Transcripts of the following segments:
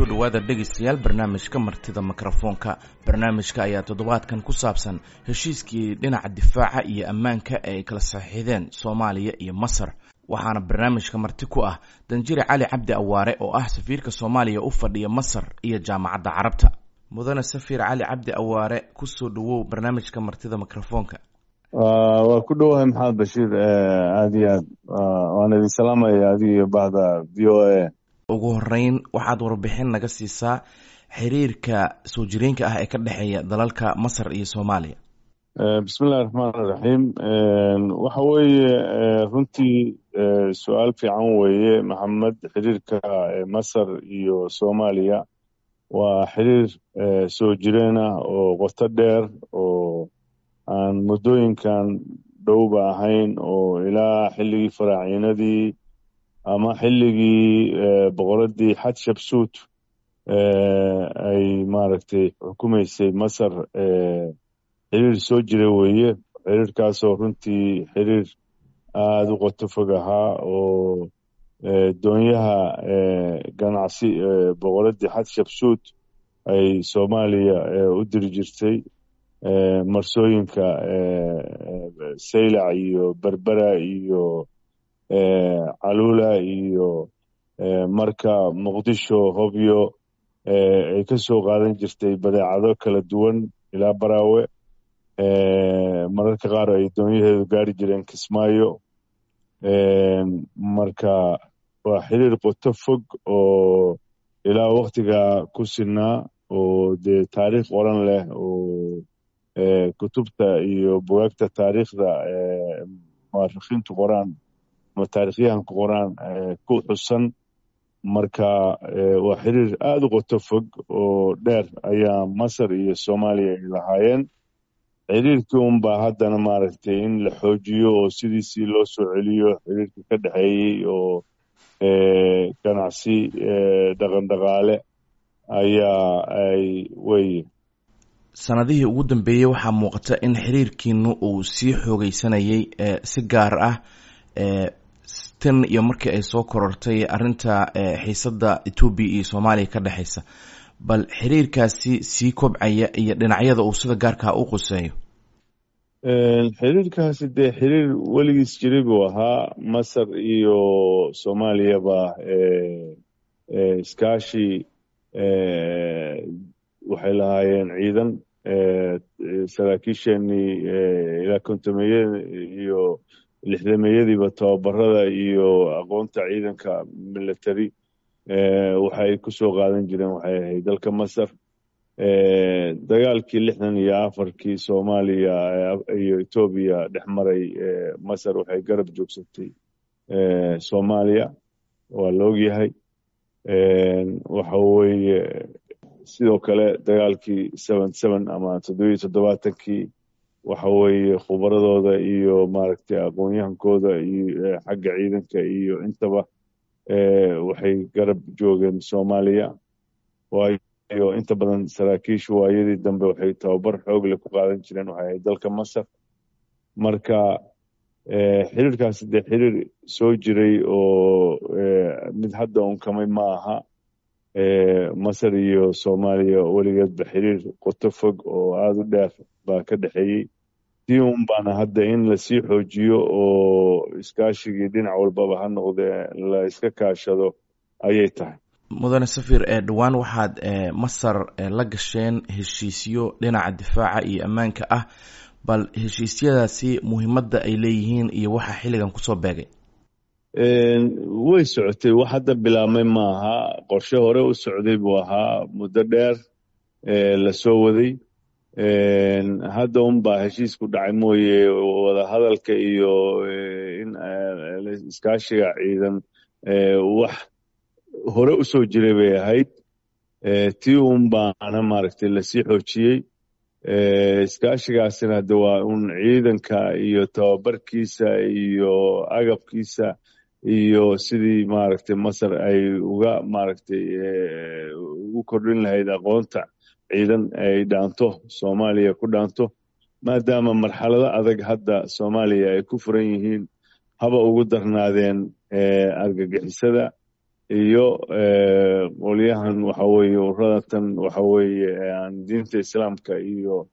Kusoo dhowaada dhegaystayaal barnaamijka Martida Mikrofoonka. Barnaamijka ayaa toddobaadkan ku saabsan heshiiskii dhinaca difaaca iyo ammaanka ee ay kala saxiixdeen Soomaaliya iyo Masar. Waxaana barnaamijka marti ku ah Danjire Cali Cabdi Awaare oo ah safiirka Soomaaliya u fadhiya Masar iyo Jaamacadda Carabta. Mudane Safiir Cali Cabdi Awaare, kusoo dhowow barnaamijka Martida Mikrofoonka. Waa ku dhowahay, Maxamed Bashiir, aad iyo aad waan idin salaamaya adiga iyo bahda VOA. Ugu horeyn, waxaad warbixin naga siisaa xiriirka soo jireenka ah ee ka dhexeeya dalalka Masar iyo Soomaaliya. Bismillahi raxmaan iraxiim. Waxa weeye, runtii su-aal fiican weeye, Maxamed. Xiriirka Masar iyo Soomaaliya waa xiriir soo jireen ah oo qoto dheer oo aan muddooyinkan dhowba ahayn, oo ilaa xilligii faraaciinadii ama xilligii boqoradii Xatshabsuut ay maaragtay xukumaysay Masar, xiriir soo jira weeye. Xiriirkaasoo runtii xiriir aada u qoto fog ahaa oo doonyaha ganacsi boqoradii Xatshabsuut ay Soomaaliya u diri jirtay marsooyinka Saylac iyo Berbera iyo Caluula iyo marka Muqdisho, Hobyo, ay ka soo qaadan jirtay badeecado kala duwan ilaa Baraawe. Mararka qaar ay doonyaheedu gaari jireen Kismaayo. Marka waa xiriir qoto fog oo ilaa waktigaa ku sinaa oo dee taariikh qoran leh oo kutubta iyo bugaagta taariikhda muarikiintu qoraan ama taarikhyahanku qoraan ku xusan. Marka waa xiriir aada u qoto fog oo dheer ayaa Masar iyo Soomaaliya ay lahaayeen. Xiriirkii unbaa haddana maaragtay in la xoojiyo oo sidiisii loo soo celiyo xiriirkii ka dhexeeyey oo ganacsi, dhaqan dhaqaale ayaa ay weye. Sanadihii ugu dambeeyey waxaa muuqata in xiriirkiinu uu sii xoogeysanayay, si gaar ah tan iyo markii ay soo korortay arrinta xiisadda Etoobiya iyo Soomaaliya ka dhexeysa. Bal xiriirkaasi sii kobcaya iyo dhinacyada uu sida gaarkaa u quseeyo. Xiriirkaasi dee xiriir weligiis jiray buu ahaa. Masar iyo Soomaaliyaba iskaashi waxay lahaayeen ciidan. Saraakiisheenii ilaa kontomeyada iyo lixdameeyadiiba tababarada iyo aqoonta ciidanka military waxay ku soo qaadan jireen waxay ahayd dalka Masar. Dagaalkii 64-kii Soomaaliya iyo Etoobiya dhex maray, Masar waxay garab joogsatay Soomaaliya, waa la ogyahay. Waxa weeye, sidoo kale dagaalkii 77 ama 77-kii, waxa weeye khubaradooda iyo maaragtay aqoon-yahankooda iyo xagga ciidanka iyo intaba waxay garab joogeen Soomaaliya. Waayo, inta badan saraakiishu waayadii dambe waxay tababar xoog leh ku qaadan jireen waxay ahayd dalka Masar. Marka xiriirkaasi dee xiriir soo jiray oo mid hadda unkamay ma aha. Masar iyo Soomaaliya weligeedba xiriir qoto fog oo aada u dheer baa ka dhexeeyey. Tii un baana hadda in lasii xoojiyo oo iskaashigii dhinac walbaba ha noqdee la iska kaashado ayay tahay. Mudane Safir, dhowaan waxaad Masar la gasheen heshiisyo dhinaca difaaca iyo ammaanka ah. Bal heshiisyadaasi muhiimadda ay leeyihiin iyo waxa xilligan kusoo beegay. Way socotay, wax hadda bilaabmay maaha. Qorshe hore u socday buu ahaa, muddo dheer lasoo waday. Hadda unbaa heshiisku dhacay mooye, wadahadalka iyo in iskaashiga ciidan wax hore u soo jiray bay ahayd. Tii un baana maaragtay lasii xoojiyey. Iskaashigaasina hadde waa un ciidanka iyo tababarkiisa iyo agabkiisa iyo sidii maaragtay Masar ay uga maaragtay ugu kordhin lahayd aqoonta ciidan ay dhaanto Soomaaliya ku dhaanto, maadaama marxalado adag hadda Soomaaliya ay ku furan yihiin, haba ugu darnaadeen argagixisada. Iyo qolyahan waxa weeye uradatan waxa weeye aan diinta islaamka iyo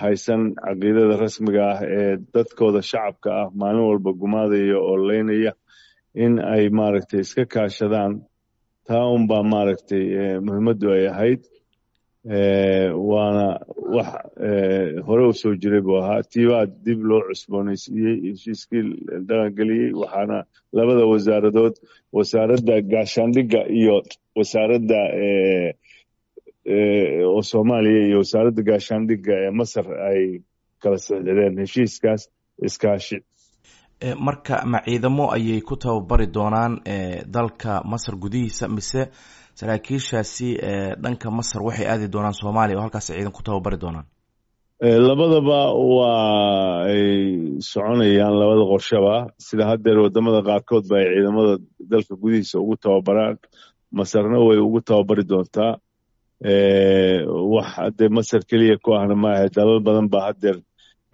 haysan caqiidada rasmiga ah ee dadkooda shacabka ah maalin walba gumaadaya oo leynaya, in ay maaragtay iska kaashadaan. Taa unbaa maaragtay muhiimaddu ay ahayd, waana wax hore u soo jiray buu ahaa. Tiibaa dib loo cusboonaysiiyey, heshiiskii dhaqangeliyey, waxaana labada wasaaradood, wasaaradda gaashaandhigga iyo wasaaradda oo Soomaaliya iyo wasaaradda gaashaandhigga ee Masar ay kala saxiixdeen heshiiskaas iskaashi. Marka ma ciidamo ayay ku tababari doonaan dalka Masar gudihiisa, mise saraakiishaasi dhanka Masar waxay aadi doonaan Soomaaliya oo halkaas ciidan ku tababari doonaan? Labadaba waa ay soconayaan, labada qorshaba. Sida haddeer wadamada qaarkood ba ay ciidamada dalka gudihiisa ugu tababaraan, Masarna way ugu tababari doontaa. Wax haddee Masar keliya ku ahna maaha, dalal badan baa haddeer,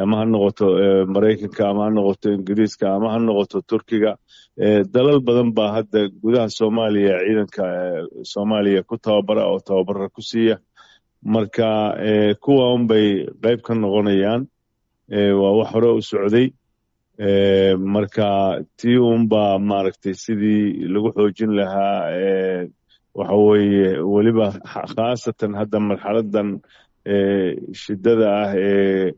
ama ha noqoto Maraykanka, ama ha noqoto Ingiriiska, ama ha noqoto Turkiga, dalal badan baa hadda gudaha Soomaaliya ciidanka Soomaaliya ku tababara oo tababara ku siiya. Marka kuwa unbay qayb ka noqonayaan, waa wax hore u socday. Marka tii unbaa maaragtay sidii lagu xoojin lahaa waxa weeye, weliba khaasatan hadda marxaladan shidada ah ee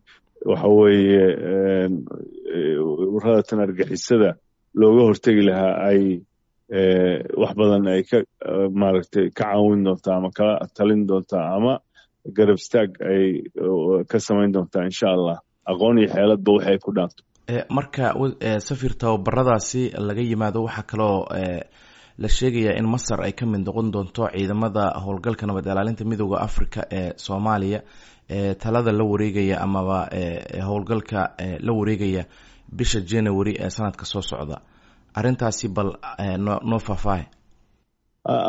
waxa weeye uradatan argixisada looga hortegi lahaa, ay wax badan ay ka maaragtay ka caawin doontaa ama kala talin doontaa ama garab istaag ay ka samayn doontaa, insha Allah, aqoon iyo xeeladba waxay ku dhaanto. Marka safir tababaradaasi laga yimaado, waxaa kaloo la sheegayaa in Masar ay ka mid noqon doonto ciidamada howlgalka nabad ilaalinta Midooda Africa ee Soomaaliya talada la wareegaya amaba howlgalka la wareegaya bisha January ee sanadka soo socda. Arrintaasi bal noo faahfaahay.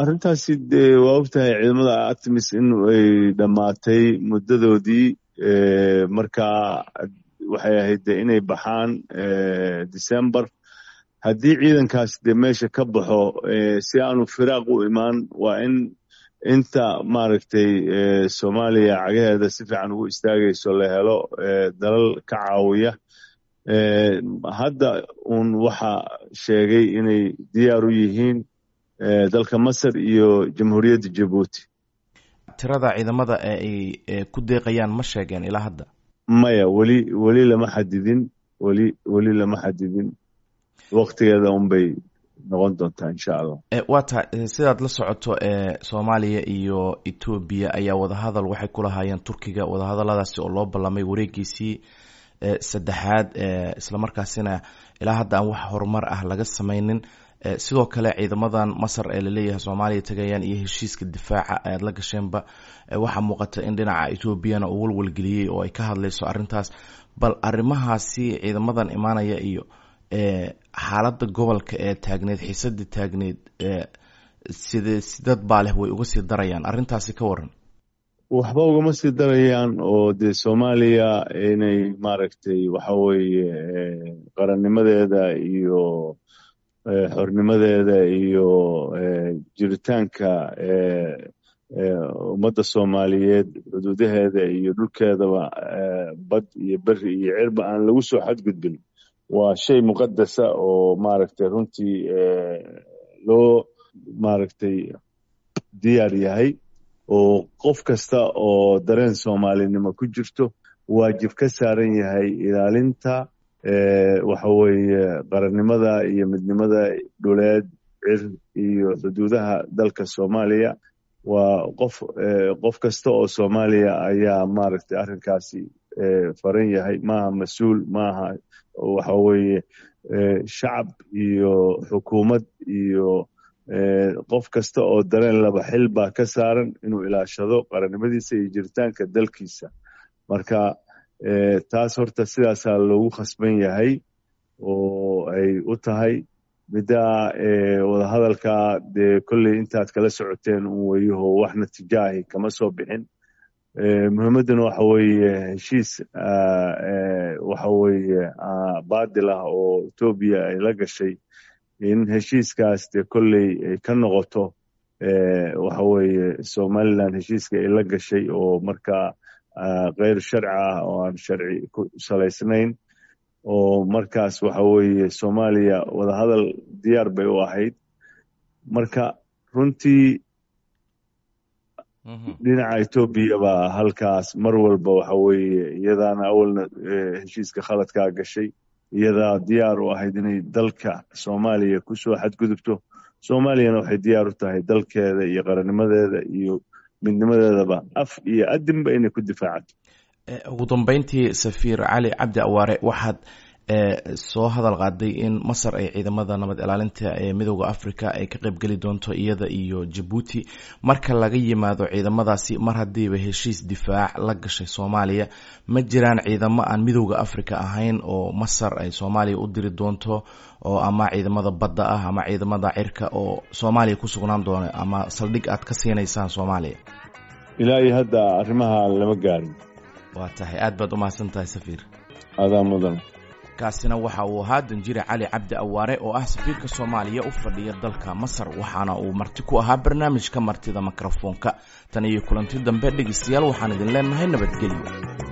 Arrintaasi dee waa ogtahay ciidamada ATMIS in ay dhammaatay muddadoodii. Marka waxay ahayd de inay baxaan December. Haddii ciidankaas dee meesha ka baxo, si aanu firaaq u imaan, waa in inta maaragtay Soomaaliya cagaheeda si fiican ugu istaagayso la helo dalal ka caawiya. Hadda uun waxa sheegay inay diyaar u yihiin dalka Masar iyo Jamhuuriyadda Jabuuti. Tirada ciidamada ee ay ku deeqayaan ma sheegeen ilaa hadda? Maya, weli lama xadidin, weli lama xadidin. Waktigeeda unbay noqon doontaa, insha Allah. Waa tahay. Sidaad la socoto, Soomaaliya iyo Etoobiya ayaa wadahadal waxay ku lahaayeen Turkiga, wadahadaladaasi oo loo ballamay wareegiisii saddexaad, islamarkaasina ilaa hadda aan wax horumar ah laga sameynin. Sidoo kale ciidamadan Masar ee laleeyahay Soomaaliya tagayaan iyo heshiiska difaaca aad la gasheenba, waxaa muuqata in dhinaca Etoobiyana uu walwalgeliyey oo ay ka hadlayso arrintaas. Bal arrimahaasi ciidamadan imaanaya iyo xaaladda gobolka ee taagneed, xiisadii taagneed, side sidad baa leh way uga sii darayaan? Arrintaasi ka waran. Waxba ugama sii darayaan, oo dee Soomaaliya inay maaragtay waxa weeye qarannimadeeda iyo xornimadeeda iyo jiritaanka ummadda Soomaaliyeed, xuduudaheeda iyo dhulkeedaba, bad iyo beri iyo cirba aan lagu soo xadgudbin, waa shay muqadasa oo maaragtay runtii loo maaragtay diyaar yahay, oo qof kasta oo dareen soomaalinimo ku jirto waajib ka saaran yahay ilaalinta waxa weeye qarannimada iyo midnimada dhuleed, cir iyo xuduudaha dalka Soomaaliya. Waa qof kasta oo Soomaaliya ayaa maaragtay arrinkaasi faran yahay. Maaha mas-uul, maaha waxa weeye shacab iyo xukuumad iyo qof kasta oo dareen laba xil baa ka saaran inuu ilaashado qarannimadiisa iyo jiritaanka dalkiisa. Marka taas horta sidaasaa loogu khasban yahay oo ay u tahay. Middaa wadahadalka dee kolley intaad kala socoteen un weyaho, wax natiijaahi kama soo bixin. Muhiimadduna waxa weeye heshiis waxa weeye baadil ah oo Etoobiya ay la gashay In heshiiskaas dee kolley ay ka noqoto, waxa weeye Somaliland heshiiska ay la gashay oo markaa keyr sharci ah oo aan sharci ku salaysnayn, oo markaas waxa weeye Soomaaliya wadahadal diyaar bay u ahayd. Marka runtii dhinaca Etoobiya baa halkaas mar walba waxa weeye iyadaana awalna heshiiska khaladkaa gashay, iyadaa diyaar u ahayd inay dalka Soomaaliya kusoo xadgudubto. Soomaaliyana waxay diyaar u tahay dalkeeda iyo qarannimadeeda iyo midnimadeedaba af iyo adinba inay ku difaacato. Ugu dambeyntii, Safiir Cali Cabdi Awaare, waxaad soo hadal qaaday in Masar ay ciidamada nabad ilaalinta ee Midooda Africa ay ka qaybgeli doonto, iyada iyo Jabuuti. Marka laga yimaado ciidamadaasi, mar haddiiba heshiis difaac la gashay Soomaaliya, ma jiraan ciidamo aan Midooda Africa ahayn oo Masar ay Soomaaliya u diri doonto, oo ama ciidamada badda ah ama ciidamada cirka oo Soomaaliya ku sugnaan doona ama saldhig aad ka siinaysaan Soomaaliya? Ilaa iyo hadda arrimaha lama gaarin. Waa tahay, aad baad umahadsan tahay, safiir. Adaa mudan. Kaasina waxa uu ahaa Danjire Cali Cabdi Awaare oo ah safiirka Soomaaliya u fadhiya dalka Masar, waxaana uu marti ku ahaa barnaamijka Martida Mikrofoonka. Tan iyo kulanti dambe, dhegeystayaal, waxaan idin leenahay nabadgelyo.